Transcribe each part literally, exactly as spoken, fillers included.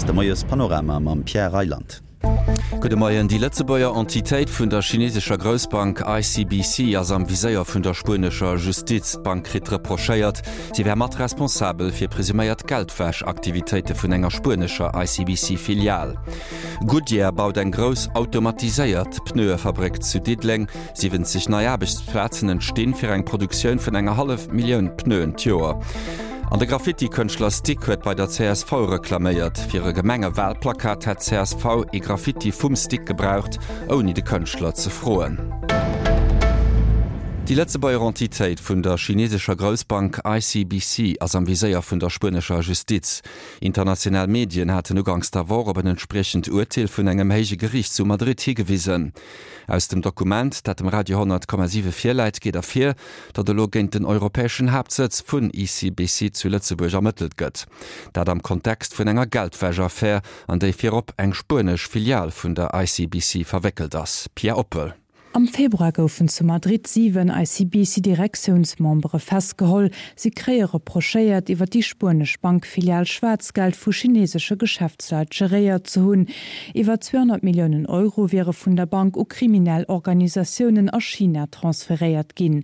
de Moiespanorama mam Pierre Reyland. Gudde Moien. Déi Lëtzebuerger Entitéit vun der chinesescher Groussbank I C B C ass am Viséier vun der spuenescher Justiz. D'Bank kritt reprochéiert, si wär mat responsabel fir presuméiert Geldwäschaktivitéite vun enger spuenescher I C B C-Filial. Goodyear baut eng grouss automatiséiert Pneuefabréck zu Diddeleng. siwwenzeg nei Aarbechtsplazen entstinn fir eng Produktioun vun enger hallef Millioun Pneuen d'Joer. An de Graffiti-Kënschtler Stic huet bei der C S V reklaméiert. Fir e Gemengewalplakat hätt d'C S V e Graffiti vum Stic gebraucht, ouni de Kënschtler ze froen. Déi Lëtzebuerger Entitéit vun der chinesescher Groussbank I C B C ass am Viséier vun der spuenescher Justiz. International Medien haten uganks der Woch op en entspriechend Urteel vun engem héije Geriicht zu Madrid higewisen. Aus dem Dokument, dat dem Radio honnert Komma siwe virläit, geet ervir, datt elo géint den europäeschen Haaptsëtz vun I C B C zu Lëtzebuerg ermëttelt gëtt. Dat am Kontext vun enger Geldwäschaffär, an déi virop eng spuenesch Filial vun der I C B C verwéckelt ass. Pia Oppel. Am Februar goufen zu Madrid siwen I C B C-Direktiounsmembere festgeholl. Si kréie reprochéiert, iwwer déi spuenesch Bankfilial Schwaarzgeld vu chinesesche Geschäftsleit geréiert ze hunn. Iwwer zweehonnert Milliounen Euro wiere vun der Bank u kriminell Organisatiounen a China transferéiert ginn.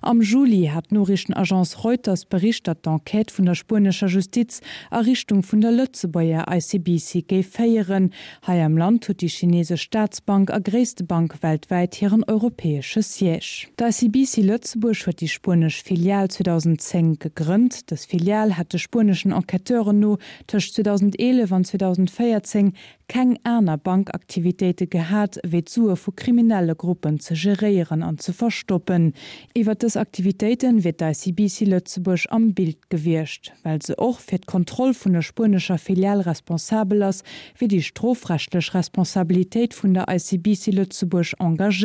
Am Juli hat d'Noriichtenagence Reuters bericht, datt d'Enquête vun der spuenescher Justiz a Richtung vun der Lëtzebuerger I C B C géif féieren. Hei am Land huet déi chinesesch Staatsbank a gréisste Bank weltwäit hiren europäesche Siège. D'I C B C Lëtzebuerg huet déi spuenesch Filial zweedausendzéng gegrënnt. Dës Filial hat de spueneschen Enquêteuren no tëscht zweedausendeelef an zweedausendvéierzéng keng aner Bankaktivitéite gehat, wéi d'Sue vu kriminelle Gruppen ze geréieren an ze verstoppen. Iwwer dës Aktivitéite wier d'I C B C Lëtzebuerg am Bild gewiescht. Well se och fir d'Kontroll vun der spuenescher Filial responsabel ass, wier déi strofrechtlech Responsabilitéit vun der I C B C Lëtzebuerg engagéiert.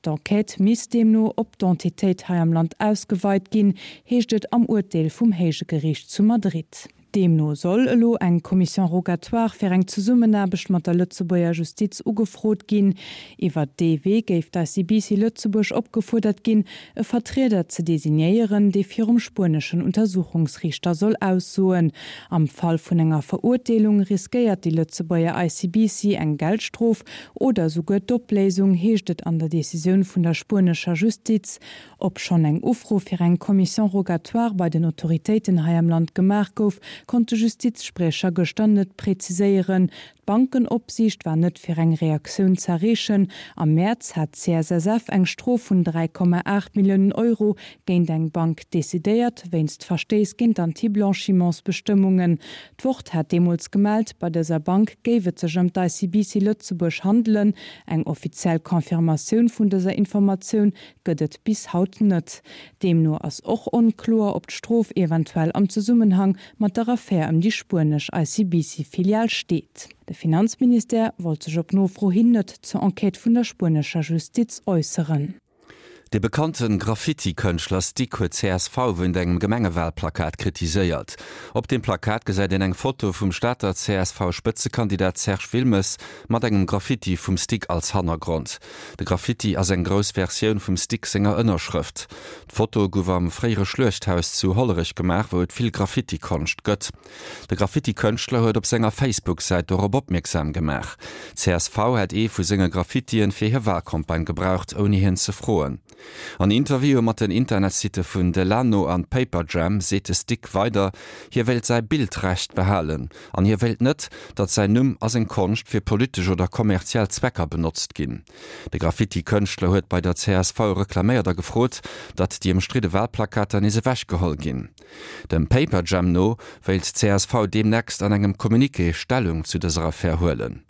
D'Enquête misst deemno op d'Entitéit hei am Land ausgeweit ginn, heescht et am Urteel vum héije Geriicht zu Madrid. Deemno soll elo eng Commission rogatoire fir eng Zesummenaarbecht mat der Lëtzebuerger Justiz ugefrot ginn. Iwwer dee Wee géif d'I C B C Lëtzebuerg opgefuerdert ginn, e Vertrieder ze designéieren, dee virum spueneschen Untersuchungsriichter soll aussoen. Am Fall vun enger Verurteelung riskéiert déi Lëtzebuerger I C B C eng Geldstrof oder souguer d'Opléisung, heescht et an der Decisioun vun der spuenescher Justiz. Ob schonn eng Ufro fir eng Commission rogatoire bei den Autoritéiten hei am Land gemaach gouf, konnt de Justizspriecher gëschter net präziséieren. D'Bankenopsiicht war net fir eng Reaktioun z'erreechen. Am Mäerz hat d'C S S F eng Strof vun dräi Komma aacht Milliounen Euro géint eng Bank decidéiert, wéinst Verstéiss géint Anti-Blanchimentsbestëmmungen. D'Wort hat deemools gemellt, bei dëser Bank géif et sech ëm d'I C B C Lëtzebuerg handelen. Eng offiziell Confirmatioun vun dëser Informatioun gëtt et bis haut net. Deemno ass och onkloer, ob d'Strof eventuell am Zesummenhang mat der Affär ëm déi spuenesch I C B C-Filial steet. De Finanzministère wollt sech op Nofro hin net zur Enquête vun der spuenescher Justiz äusseren. De bekannte Graffiti-Kënschtler Stic huet C S V wéinst engem Gemengewalplakat kritiséiert. Op dem Plakat gesäit een eng Foto vum Stater C S V-Spëtzekandidat Serge Wilmes mat engem Graffiti vum Stic als Hannergrond. De Graffiti ass eng grouss Versioun vum Stic senger Ënnerschrëft. D'Foto gouf am fréiere Schluechthaus zu Hollerech gemaach, wou et vill Graffiti-Konscht gëtt. De Graffiti-Kënschtler huet op senger Facebook-Säit dorop opmierksam gemaach. C S V hätt ee vu senge Graffitien fir hir Walcampagne gebraucht, ouni hien ze froen. An Interviewe mat den Internetsitte vun Delano an Paperjam seet de Stic weider, hie wéilt säi Bildrecht behalen an hie wéilt net, datt säin Numm a seng Konscht fir politesch oder kommerziell Zwecker benotzt ginn. De Graffiti-Kënschtler huet bei der C S V reklaméiert a gefrot, datt déi ëmstridde Walplakater nees ewechgeholl ginn. Dem Paperjam no wéilt d'C S V deemnächst an engem Communiqué Stellung zu dëser Affär huelen.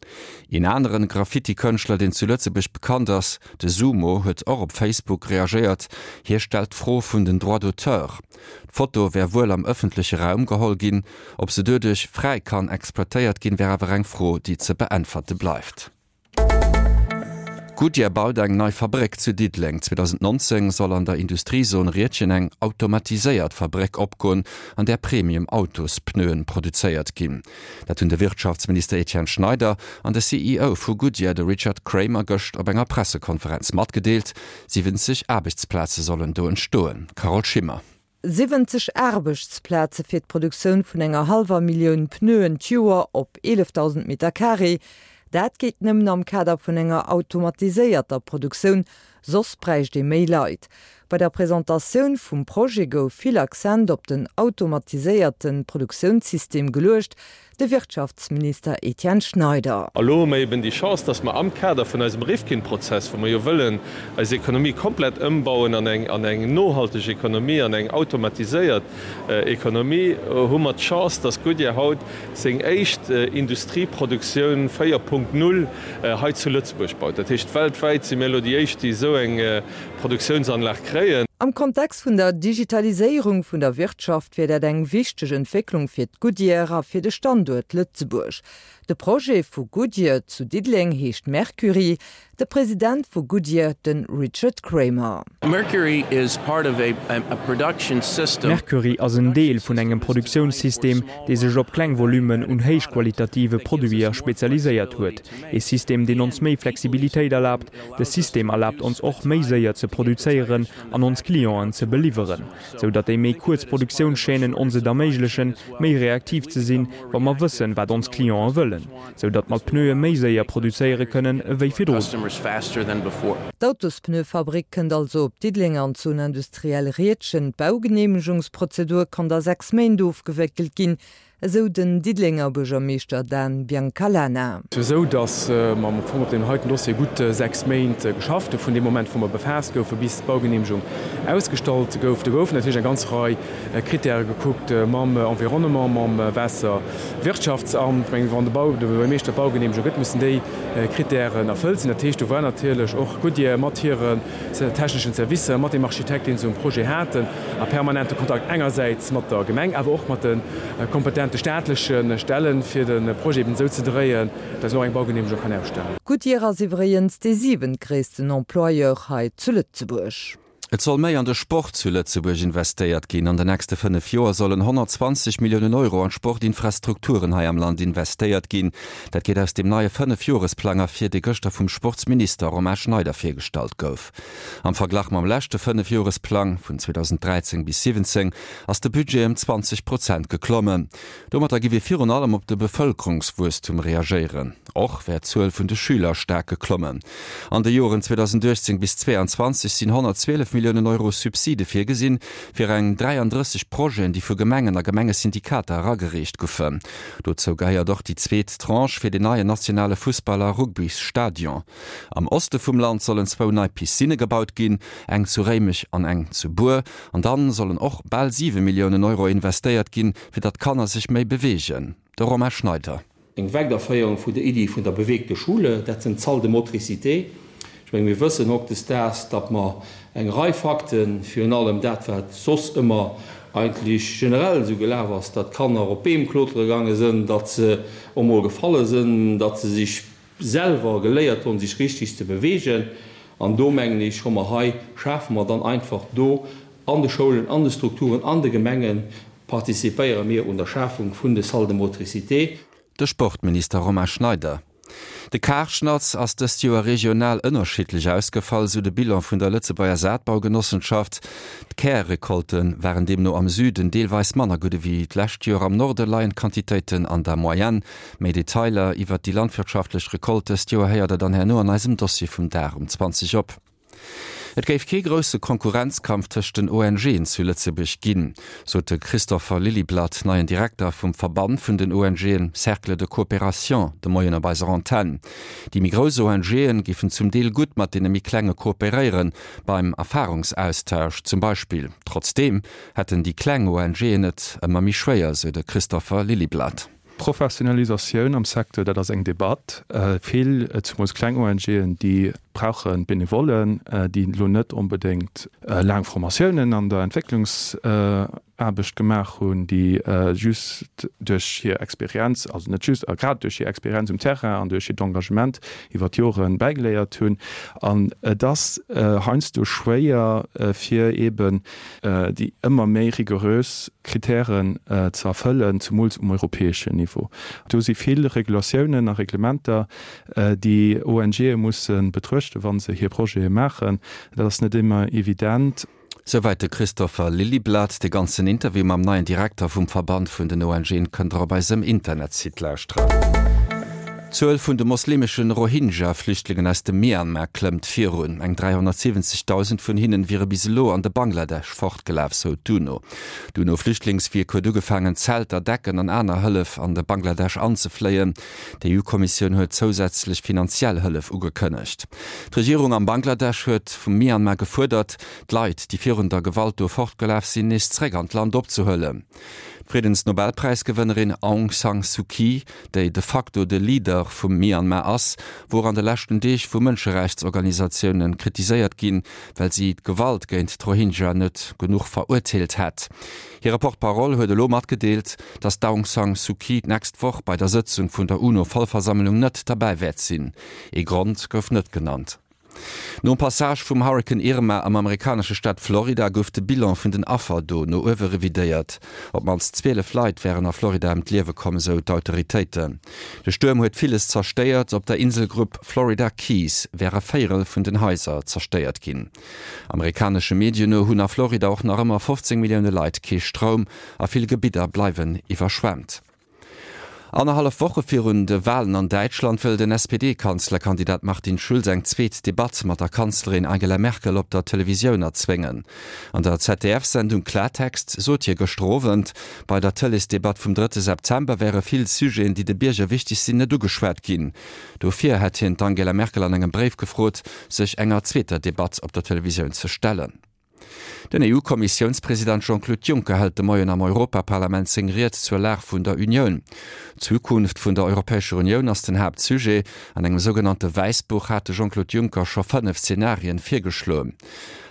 Een anere Graffiti-Kënschtler, deen zu Lëtzebuerg bekannt ass, de Sumo, huet och op Facebook reagéiert. Hie stellt d'Fro vun den Droits d'auteur. D'Foto wär wuel am ëffentleche Raum geholl ginn, ob se doduerch fräi kann exploitéiert ginn, wär awer eng Fro, déi ze beäntwerte bleift. Goodyear baut eng nei Fabréck zu Diddeleng. zweedausendnonzéng soll an der Industriezon Riedgen eng automatiséiert Fabréck opgoen, an där Premium-Autospneuen produzéiert ginn. Dat hunn de Wirtschaftsminister Etienne Schneider an de C E O vu Goodyear, de Richard Kramer, gëscht op enger Pressekonferenz matgedeelt. siwwenzeg Aarbechtsplaze sollen do entstoen. Carole Schimmer. Siwwenzeg Aarbechtsplaze fir d'Produktioun vun enger hallwer Millioun Pneuen d'Joer op eelefdausend Meter Carré, dat geet nëmmen am Kader vun enger automatiséierter Produktioun, soss bräicht ee méi Leit. Bei der Presentatioun vum Projet gouf vill Accent op den automatiséierte Produktiounssystem geluecht, De Wirtschaftsminister Etienne Schneider. A lo hu mer eben déi Chance, dass mer am Kader vun eisem Rifkin-Prozess, wou mer jo wëllen eis Ekonomie komplett ëmbauen an eng, an eng nohalteg Ekonomie, an eng automatiséiert Ekonomie, hu mer d'Chance, dass Goodyear haut seng éischt Industrieproduktioun véier Punkt null hei zu Lëtzebuerg baut. Dat heescht, weltwäit si mir elo déi éischt, déi esou eng Produktiounsanlag kréien. Am Kontext vun der Digitaliséierung vun der Wirtschaft wier dat eng wichteg Entwécklung fir d'Goodyear a fir de Standuert Lëtzebuerg. De Projet vu Goodyear zu Diddeleng heescht Mercury. De President vu Goodyear, de Richard Kramer. Mercury is part of a a production system. Mercury ass en Deel vun engem Produktiounssystem, dee sech op kleng Volummen un héichqualitative Produiter spezialiséiert huet. Ee System, deen ons méi Flexibilitéit erlaabt. De System erlaabt ons och, méi séier ze produzéieren an ons Clienten ze beliwweren, sou datt déi méi kuerz Produktiounschaînen ons et erméiglechen, méi reaktiv ze sinn, wa mer wëssen, wat ons Clienten wëllen, sou datt mer d'Pneue méi séier produzéiere kënnen ewéi virdrun. D'Autospneuefabrik kënnt also op Diddeleng an d'Zone industrielle Riedgen. D'Baugeneemegungsprozedur konnt a sechs Méint ofgewéckelt ginn, esou den Diddelenger Buergermeeschter Dan Biancalana. Esou datt mer am Fong op deem heiten Dossier gutt sechs Méint geschafft hu vun deem Moment wou mer befaasst goufen, bis d'Baugeneemegung ausgestallt gouf. Do goufen natierlech eng ganz Rei Krittäre gekuckt mam Environnement, mam Waasserwirtschaftsamt. Ech mengen, wann de Bau, de Buergermeeschter d'Baugeneemegung gëtt, mussen déi Krittären erfëllt sinn. Dat heescht, do war natierlech och Goodyear mat hiren techneschen Servicer, mat deem Architekt, deen se um Projet haten, a permanente Kontakt engersäits mat der Gemeng, awer och mat de kompetente staatleche Stellen, fir de Projet eben esou ze dréien, dass en och eng Baugeneemegung kann ausstellen. Goodyear ass iwwregens dee siwentgréissten Employeur hei zu Lëtzebuerg. Et soll méi an de Sport zu Lëtzebuerg investéiert ginn. An den nächste fënnef Joer sollen honnertzwanzeg Milliounen Euro an d'Sportinfrastrukturen hei am Land investéiert ginn. Dat geet aus dem neie Fënnefjoresplang ervir, dee gëschter vum Sportsminister Romain Schneider virgestallt gouf. Am Verglach mam leschte Fënnefjoresplang vun zweedausenddräizéng bis siwwenzéng ass de Budget ëm zwanzeg Prozent geklommen. Domatter giff ee virun allem op de Bevëlkerungswuesstum reagéieren. Och wär d'Zuel vun de Schüler staark geklommen. An de Joren zweedausenduechtzéng bis zweeanzwanzeg sinn honnertzwielef Milliounen Euro Subside virgesinn, fir eng dräiandrësseg Projeten, déi vu Gemengen a Gemengesyndikater eragereecht goufen. Dozou gehéiert och déi zweet Tranche fir den neien nationale Fussball a Rugbysstadion. Am Oste vum Land sollen zwou nei Piscinne gebaut ginn, eng zu Réimech an eng zu Bur. An dann sollen och bal siwe Milliounen Euro investéiert ginn, fir datt d'Kanner sech méi beweegen. De Romain Schneider. Eng Weiderféierung vun der Iddi vun der bewegte Schule, dat sinn d'Salles de motricité. Ech menge mir wëssen hautdesdaags, datt mer eng Rei Fakten, virun allem dat wat soss ëmmer eigentlech generell esou gelaf ass, datt d'Kanner op Beem klotere gaange sënn, datt se och mol gefalle sënn, datt se sech selwer geléiert hunn, sech richtig ze bewegen. An do mengen ech, hu mer hei, schafe mer dann einfach do an de Schoulen, an de Strukturen, an de Gemengen, participéiere mir un der Schafung vun de Salles de motricité. De Sportminister Romain Schneider. De Karschnatz ass dëst Joer regional ënnerschiddlech ausgefall, sou de Bilan vun der Lëtzebuerger Saatbaugenossenschaft. D'Kärrecolte waren deemno am Süden deelweis manner gutt ewéi d'lescht Joer. Am Norde leien d'Quantitéiten an der Moyenne. Méi Detailer iwwert déi landwirtschaftlech Recolte dëst Joer héiert der dann herno an eisem Dossier vum Dag um zwanzeg op. Et géif kee grousse Konkurrenzkampf tëscht den ONGen zu Lëtzebuerg ginn, sot de Christopher Lilyblad, neien Direkter vum Verband vun den ONGen Cercle de coopération, de Moien op eiser Antenn. Déi méi grouss ONGen géifen zum Deel gutt mat deene méi klenge kooperéieren, beim Erfarungsaustausch zum Beispill. Trotzdeem hätten déi kleng ONGen et ëmmer méi schwéier, sou de Christopher Lilyblad. Professionalisatioun am Secteur, dat ass eng Debatt. Vill, zemools kleng O N G'en, déi brauche Benevollen, déi elo net onbedéngt laang Formatiounen an der Entwécklungsaarbecht gemaach hunn, déi just duerch hir Experienz, also net just, a grad duerch hir Experienz um Terrain an duerch hiert Engagement iwwer d'Jore bäigeléiert hunn. An et ass heiansdo schwéier, fir eeben déi ëmmer méi rigorös Kritären ze erfëllen, zemools um europäeschen Niveau. Do si vill Regulatiounen a Reglementer, déi O N G'e musse betruechten, wa se hir Projete maachen. Dat ass net ëmmer evident. Souwäit de Christopher Liljeblad. De ganzen Interview mam neien Direkter vum Verband vun den ONGen kënnt der op eisem Internetsite lauschteren. D'Zuel vun de moslemeschen Rohingya-Flüchtlingen aus dem Myanmar klëmmt virun. Eng dräihonnertsiwwenzegdausend vun hinnen wiere bis elo an de Bangladesch fortgelaf, sou d'UNO. D'UNO-Flüchtlingswierk huet ugefaangen, Zelter, Decken an aner Hëllef an de Bangladesch anzefléien. D'EU-Kommissioun huet zousätzlech finanziell Hëllef ugekënnegt. D'Regierung am Bangladesch huet vum Myanmar gefuerdert, d'Leit, déi virun der Gewalt do fortgelaf sinn, nees zeréck an d'Land opzehuelen. D'Friddensnobelpräisgewënnerin Aung San Suu Kyi, déi de facto de Leader vum Myanmar ass, wor an de leschten Deeg vu Mënscherechtsorganisatioune kritiséiert ginn, well si d'Gewalt géint d'Rohingya net genuch verurteelt hätt. Hire Porte-parole huet elo matgedeelt, datt d'Aung San Suu Kyi d'nächst Woch bei der Sëtzung vun der UNO-Vollversammlung net derbäi wäert sinn. Ee Grond gouf net genannt. Nom Passage vum Hurrikan Irma am amerikanesche Staat Florida gouf de Bilan vun den Affer do no uewe revidéiert. Op d'mannst zwielef Leit wären a Florida ëm d'Liewe komm, esou d'Autoritéiten. De Stuerm huet villes zerstéiert, op der Inselgrupp Florida Keys wär e Véierel vun den Haiser zerstéiert ginn. Amerikanesche Medien no hunn a Florida och nach ëmmer fofzéng Millioune Leit kee Stroum a vill Gebidder bleiwen iwwerschwemmt. Annerhallef Woche virun de Walen an Däitschland wëll den S P D-Kanzlerkandidat Martin Schulz eng zweet Debatt mat der Kanzlerin Angela Merkel op der Televisioun erzwéngen. An der Z D F-Sendung Klartext sot hie gëschter Owend, bei der Tëleesdebatt vum drëtte September wäre vill Sujeten, déi de Bierger wichteg sinn, net ugeschwat ginn. Dofir hätt hien d'Angela Merkel an engem Bréif gefrot, sech enger zweeter Debatt op der Televisioun ze stellen. Den E U-Kommissiounspresident Jean-Claude Juncker hält de Moien am Europaparlament seng Ried zur Lag vun der Unioun. D'Zukunft vun der Europäescher Unioun ass den Haaptsujet. An engem sougenannte Wäissbuch hat de Jean-Claude Juncker scho fënnef Zenarien virgeschloen.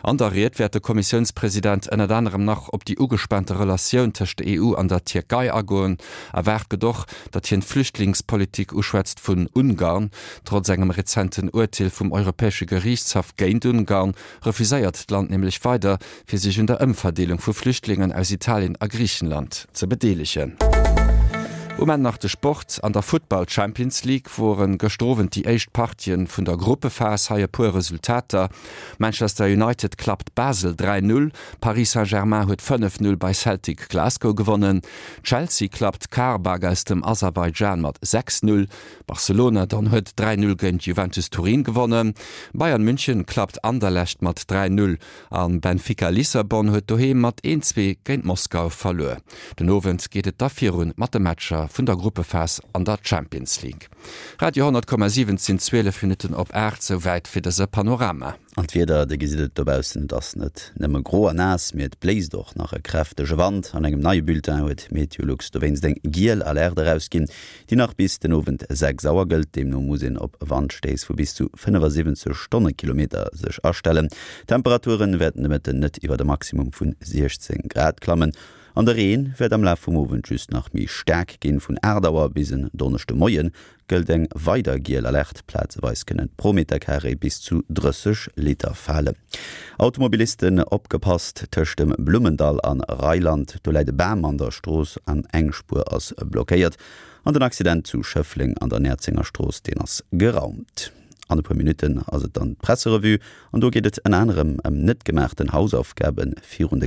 An der Ried wäert de Kommissiounspresident ënnert anerem nach op déi ugespaante Relatioun tëscht der E U an der Tierkei agoen. Erwaart gëtt och, datt hien d'Flüchtlingspolitik uschwätzt vun Ungarn. Trotz engem rezenten Urteel vum Europäesche Geriichtshaff géint Ungarn refuséiert d'Land nämlech weider, fir sech un der Ëmverdeelung vu Flüchtlingen aus Italien a Griichenland ze bedeelegen. Um Enn nach de Sport, An der Futtball Champions League woren gëschter Owend déi éischt Partien vun der Gruppephas. Hei e puer Resultater, Manchester United klappt Basel dräi Null, Paris Saint-Germain huet fënnef Null bei Celtic Glasgow gewonnen, Chelsea klappt Qarabag aus dem Aserbaidschan mat sechs Null, Barcelona dann huet dräi Null géint Juventus Turin gewonnen, Bayern München klappt Anderlecht mat dräi Null an Benfica Lissabon huet doheem mat een Zwee géint Moskau verluer. Den Owend geet et da virun mat de Matcher vun der Gruppephas an der Champions League. Radio honnert Komma siwen Et sinn zwielef Minutten op aacht, souwäit fir dëse Panorama. An d'Wieder, Dir gesitt et dobaussen, et ass net nëmme gro a naass, mee et bléist och nach e kräftege Wand. An engem neie Bulletin huet Meteolux dowéinst eng giel Alerte erausginn, déi nach bis den Owend sechs Auer gëllt. Deemno muss een op Wandstéiss vu bis zu fënnefasiwwenzeg Stonnekilometer sech astellen. D'Temperature wäerten de Mëtten net iwwer e Maximum vun siechzéng Grad klammen. An de Reen wäert am Laf vum Owend just nach méi staark ginn. Vun aacht Auer bis en Donneschde Moie gëllt eng weider giel Alerte, plazeweis kënnen pro Meterkaree bis zu drësseg Liter falen. Automobilisten opgepasst, Tëscht dem Blummendall an Reiland, do läit e Bam an der Strooss an eng Spuer ass blockéiert. An den Accident zu Schëffleng an der Näerzenger Strooss, deen ass geraumt. An e puer Minutten ass et dann d'Presserevue an do geet et ënner anerem ëm net gemaachten Hausaufgabe virun de